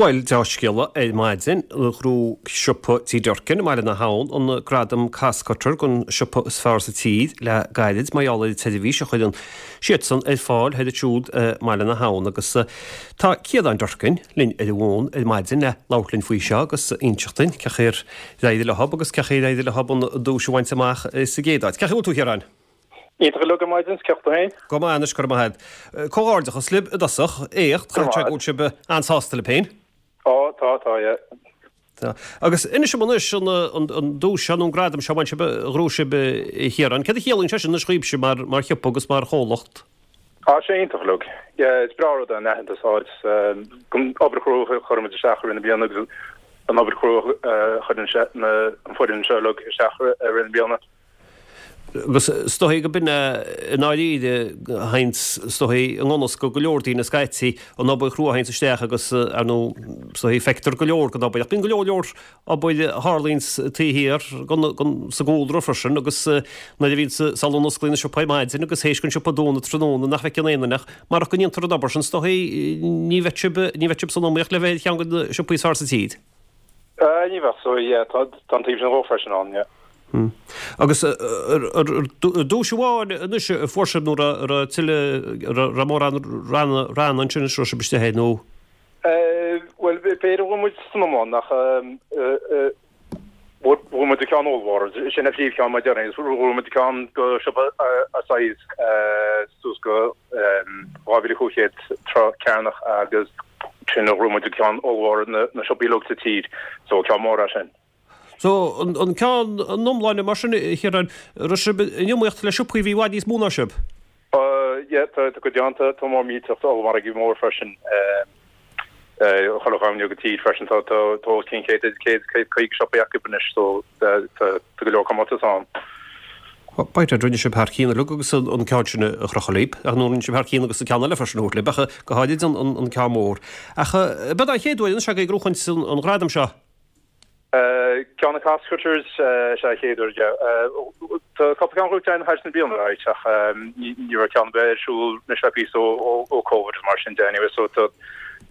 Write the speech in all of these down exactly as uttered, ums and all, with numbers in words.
Bhuel, dea-scéala ar maidin, ghnóthaigh siopa Tí Durkin i mBaile na hAbhann an gradam Costcutter don siopa is fearr sa tír le gairid mar gheall ar an tseirbhís a chuireann siadsan ar fáil thoir ansiúd i mBaile na hAbhann agus tá Ciarán Durkin linn ar an bhfón ar maidin le labhairt linn faoi seo agus inseacht dúinn cén chaoi ar éirigh leo agus cén chaoi ar éirigh leo an duais a bhaint amach sa gcéad áit. Cén chaoi a bhfuil tú, Chiaráin? Iontach go maidin ceachta féin? Go maith anois, go raibh maith agat. Comhghairdeachas libh i dtosach, éacht, caithfidh sé go bhfuil sibh an-sásta libh féin. Ó, tá, tá, yeah. Tá. Agus inis dom anois an, an, an duais seo nó an gradam seo a bhain sibh, a ghnóthaigh sibh, a Chiaráin. Céard a chiallaíonn sé sin anois dhaoibhse mar, mar shiopa agus mar chomhlacht? Tá sé iontach uilig. Yeah, is breá rud é an aitheantas a fháil don obair chrua a chuireann muid isteach i rith na bliana agus an obair chrua a chuireann sé, na, an foireann seo uilig isteach i rith na bliana. Agus is dóichí go b'in é i ndáiríre a théanns is dóichí i ngan fhios go go leor daoine scaití, an obair chrua a théanns isteach agus ar ndóigh is dóichí feictear go leor den obair ach bíonn go leor leor obair a tharlaíonns taobh thiar den, den, sa gcúlra freisin agus nuair a bhíonns sula n-osclaíonn an siopa ar maidin agus théis don siopa dúnadh tráthnóna nach bhfeiceann aon duine ach marach go ndéantar an obair sin is dóichí ní bheadh sibh, ní bheadh sibh san iomaíocht le bheith ar cheann de na siopaí is fearr sa tír. Ní bheadh so yeah, tá, tá an taobh sin dhó freisin ann, yeah. Agus duais amháin anois a fuair sibh nó raibh tuilleadh, raibh mórán ranna ranna ansin a raibh sibh istigh air nó? Bhuel, b'fhéidir go bhfuil muid san iomlán ach bhfuair muid an ceann ollmhór, sin an phríomhcheann mar déarfainn, bhfuair muid an ceann go siopa a size suas go dhá mhíle cúig chéad troigh cearnach agus sin a bhfuair muid an ceann ollmhór na siopaí uilig sa tír, so ceann mór é sin. So, an ceann an iomláine mar sin, a Chiaráin, raibh sibh in iomaíocht le siopaí a bhí i bhfad níos mó ná sibh? Yeah, tá cuid ann, tá mór millteach, tá ollmhargaí mór freisin, chuile dhomhan go tír freisin, tá os cionn céad, céad, céad caoga siopaí acu anois, so tá go leor comórtas ann. B'fhéidir, rinne sibh thar cionn uilig agus an ceann sin a chrochadh libh, ach nó rinne sibh thar cionn agus an ceann eile freisin a thabhairt libh, ach go háirid an ceann mór. Ach b'é an chéad uair anois agaibh ag gnóchaint an ghradam seo? Ceann na Costcutters is ea an chéad uair, yeah. Tá cúpla ceann gnóite againn thar na bliana, right, ach ní raibh ceann ar bith ar siúl anois le píosa ó Covid agus mar sin de anyway, so tá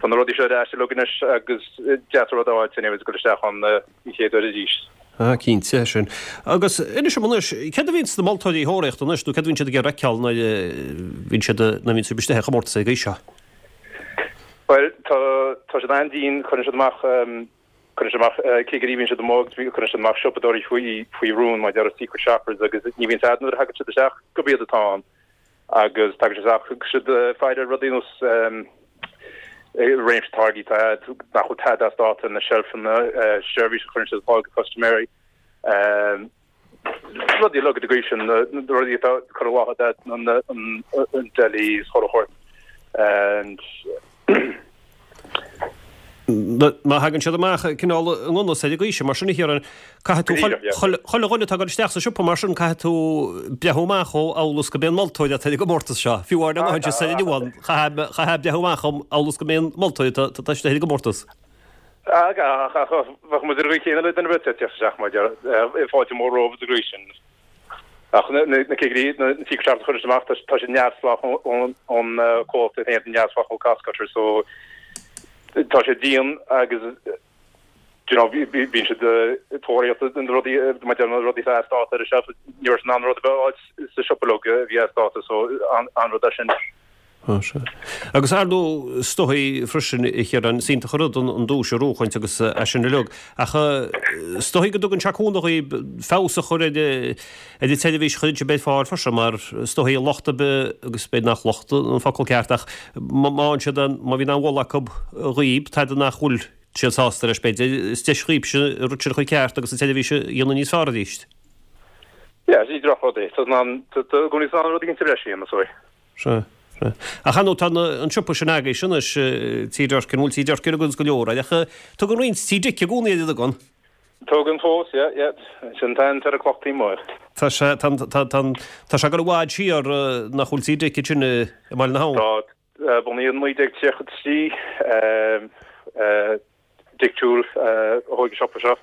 na rudaí seo ar ais uilig anois agus deas an rud a fháilt anyway dul isteach ann an chéad uair arís. Ah, cinnte, sin. Agus inis dom anois, céard a bhíonn sna moltóirí ag tóraíocht anois, nó céard a bhíonn siad ag iarraidh a fheiceáil nuair a bhíonn siad, nuair a bhíonn sibh istigh ar chomórtas ar an gcaoi seo? Bhuel, tá, tá siad an-dian, cuireann siad amach, Cuireann siad amach cigirí, bíonn siad amuigh agus cuireann siad amach siopadóirí faoi faoi rún, mar a déarfá secret shoppers agus ní bhíonn a fhios a'd nuair a thagann siad isteach gurb iad atá ann agus tagann siad isteach agus siad faire ar rudaí nós réimse táirgí atá a'd nach bhfuil tada as dáta ar na seilfeanna, seirbhís a chuireann siad ar fáil do chustaiméirí. Rudaí uilig den gcaoi sin, na rudaí atá curtha i láthair a'd, an deli is chuile shórt and. Má thagann siad amach cineál i ngan fhios ar an gcaoi sin, mar sin a Chiaráin, caithfidh tú chuile dhuine atá ag dul isteach sa siopa mar sin, caithfidh tú breathnú amach dhó amhail is go mb'é an moltóir atá ar an gcomórtas seo. Fiú amháin dá mbeinn sa inniu ann, chaithfeá breathnú amach dhom amhail is go mb'é an moltóir atá istigh ar an gcomórtas. Ach bheadh muid ar an gcaoi chéanna le duine ar bith ag teacht isteach mar a déarfá, fáilte mhór romhaibh sa gcaoi sin. Ach na cigirí, na secret shoppers a chuireann siad amach, tá siad neamhspleách ón comhlacht é féin, neamhspleách ó Costcutter, so tá sé dian agus you know bíonn siad ag tóraíocht na rudaí, mar a déarfá na rudaí atá as dáta ar an shelf, ní raibh siad in ann rud ar bith a fháilt sa siopa uilig a bhí as dáta, so an-rud é sin. Á, sea. Agus ar ndóigh, is dóichí freisin, a Chiaráin, is iontach an rud an duais a ghnóchaint agus é sin uilig, ach is dóichí go dtugann sé cúnamh dhaoibh feabhas a chur ar ar an tseirbhís a chuireann sibh ar fáil freisin, mar is dóichí locht ar bith, agus b'fhéidir nach locht an focal ceart, ach má fhaigheann siad an, má bhíonn aon mholadh acu dhaoibh, tada nach bhfuil siad sásta leis, b'fhéidir, is deis dhaoibhse an rud sin a chur ceart agus an tseirbhís a dhéanamh níos fearr arís. Yeah, ní drochrud é. Tá tá i gcónaí san rud éigin sa bhreis a dhéanamh, so. Sea, sea. Ach ar ndóigh tá an siopa sin agaibhse anois, Tí Durkin, bhuel Tí Durkin agus go leor air, ach tugann roinnt Tí Dick i gcónaí air, an dtugann? Tugann fós, yeah, yeah. Sin an t-ainm ar an cloch taobh amuigh. Tá sé, tá, tá, tá, tá sé ag dul i bhfad siar nach bhfuil Tí Dick ansin i mBaile na hAbhann. Tá, bunaíodh i naoi déag tríocha a trí, Dick Toole a thóig an siopa seo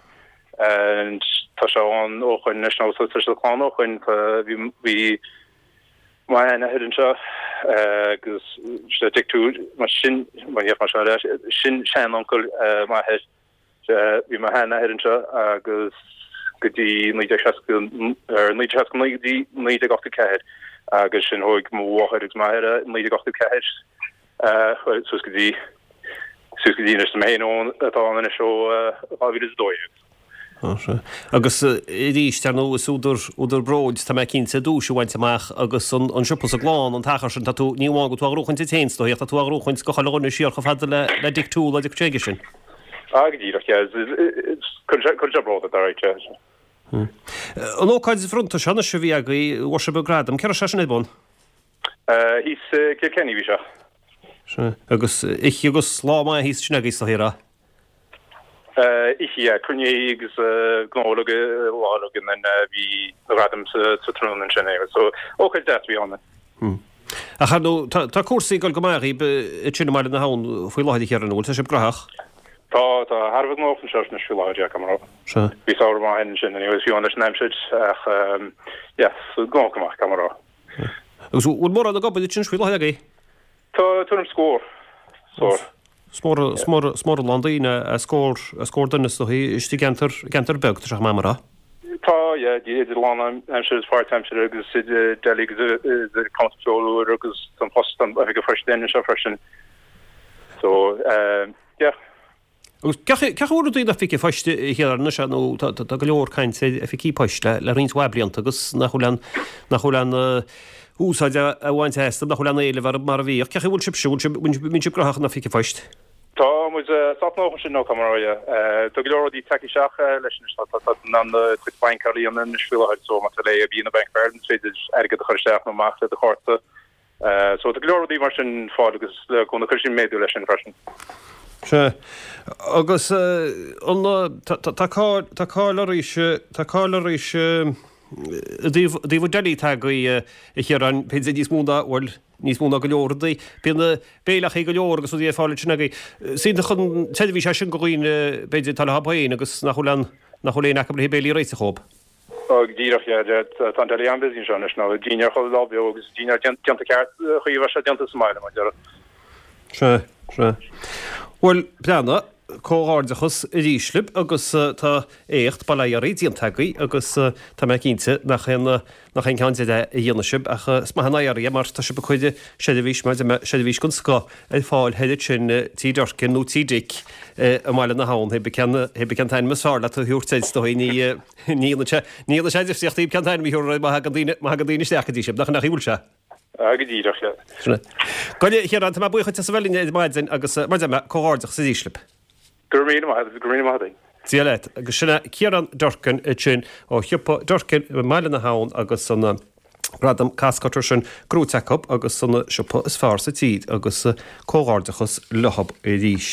and tá sé ann ó shoin anois nó tá sé sa chlann ó shoin. Bhí bhí m'sheanathair anseo Agus sé Dick Toole mar sin mar mar sin sean-uncail m'athair bhí mo sheanathair anseo agus go dtí naoi déag seasca naoi déag seasca naoi go dtí naoi déag ochtó ceathair agus sin thóg mo mháthair agus m'athair naoi déag ochtó ceathair suas go dtí suas go dtí anois mé féin atá ann anois ó dhá mhíle is a dó dhéag. Agus arís, ar ndóigh, is údar údar bróid, tá mé cinnte, duais a bhaint amach agus an an siopa is a gclann an t-achar sin, tá tú, ní amháin go bhfuil tú á ghnóchaint duit féin, is dóigh, ach tá tú á ghnóchaint go chuile dhuine siar chomh fada le le Dick Toole agus chuige sin. Ah, go díreach, yeah. Cuireann sé bród ort, alright, yeah. An ócáid bhronnta seo anois a bhí agaibh, bhfuair sibh an gradam, cé raibh sé sin ar bun? Thíos i Kilkenny bhí sé. Sea, agus oíche agus lá maith thíos ansin agaibh, is dóigh, a raibh? Oíche, yeah, cruinnithe agus gnó uilig lá uilig and then bhí na gradaim sa tráthnóna ansin anyway, so ócáid deas a bhí ann. Ach ar ndóigh, tá cúrsaí ag dul go maith dhaoib ansin i mBaile na hAbhann faoi láthair a Chiaráin, an bhfuil? Tá sibh gnóthach? Tá, tá, thar a bheith gnóthach anseo anois faoi láthair, yeah, caithfidh mé a rá. Sea. Bhí samhradh maith againn ansin anyway, fiú leis an aimsir ach yeah, gnóthach go maith, caithfidh mé a rá. Agus bhfuil mórán ag obair ansin faoi láthair agaibh? Tá tuairim scór. Scór. Is mór, is mór, is mór a lán daoine, scór, scór duine is dóichí, istigh i gceantar, i gceantar beag, tá sé chomh maith mar a. Tá, yeah, idir lánaimseartha is páirtaimseartha agus idir deli agus idir cuntasóir agus an post, an oifigeach poist anseo freisin. So, yeah. Agus cén chaoi a bhfuil rudaí in oifig an phoist a Chiaráin anois nó tá go leor caint ar oifigí poist le le roinnt mhaith blianta agus nach bhfuil an nach bhfuil an úsáid á bhaint astu, nach bhfuil an éileamh orthu mar a bhíodh. Cén chaoi a bhfuil sibhse, bhfuil sibh, mbíonn sibh gnóthach in oifig an phoist? Tá muid sách gnóthach ansin nó caithfidh mé a rá, yeah. Tá go leor rudaí tagtha isteach leis anois, tá tá in ann do chuid bainc ar líne anois faoi láthair so má tá le AIB nó Bank of Ireland is féidir airgead a chur isteach nó amach le do chárta. So tá go leor rudaí mar sin fáil agus le cúnamh cuirfidh sin méadú leis sin freisin. Sea. Agus an tá cáil tá cáil oraibhse tá cáil oraibhse i dtaobh i dtaobh an deli atá agaibh a Chiaráin b'fhéidir níos mó ná bhuel níos mó ná go leor rudaí. Bíonn béileachaí go leor agus rudaí ar fáil ansin agaibh. Is iontach an tseirbhís é sin go dhaoine b'fhéidir atá leo féin agus nach bhfuil an nach bhfuil aon acu le béilí a réiteach dhóibh. Ó, go díreach, yeah, yeah, tá an deli an-busy anseo anois, nó dinnéar chuile lá beo agus dinnéar déanta ceart, chaoi a bheadh sé déanta sa mbaile, mar a déarfá. Sea, sea. Bhuel, breathnaigh, comhghairdeachas arís libh agus tá éacht, bail ó Dhia oraibh, déanta agaibh agus tá mé cinnte nach aon, nach aon ceann deiridh a dhéanfaidh sibh ach is maith an oidhre é mar tá sibh ag cur seirbhís, mar a deir mé, seirbhís den scoth ar fáil thoir ansin, Tí Durkin nó Tí Dick i mBaile na hAbhann, hé cén, hé cén t-ainm is fearr leat a thabhairt air, is dóigh, ní, Ní dhéanann sé, ní dhéanann sé difríocht hé cén t-ainm a thabharfar air má thagann daoine, má thagann daoine isteach go dtí sibh, nach, nach bhfuil sé? Ah, go díreach, yeah. Sin é. Go, a Chiaráin, tá mé buíoch duit as a bheith linn ar maidin agus mar a deir mé, comhghairdeachas arís libh. Go raibh míle maith agat, go raibh míle maith agat. Dia leat. Agus sin é Ciarán Durkin ansin ó shiopa Durkin i mBaile na hAbhann agus an gradam Costcutter sin gnóite acu agus an siopa is fearr sa tír agus comhghairdeachas leothab arís.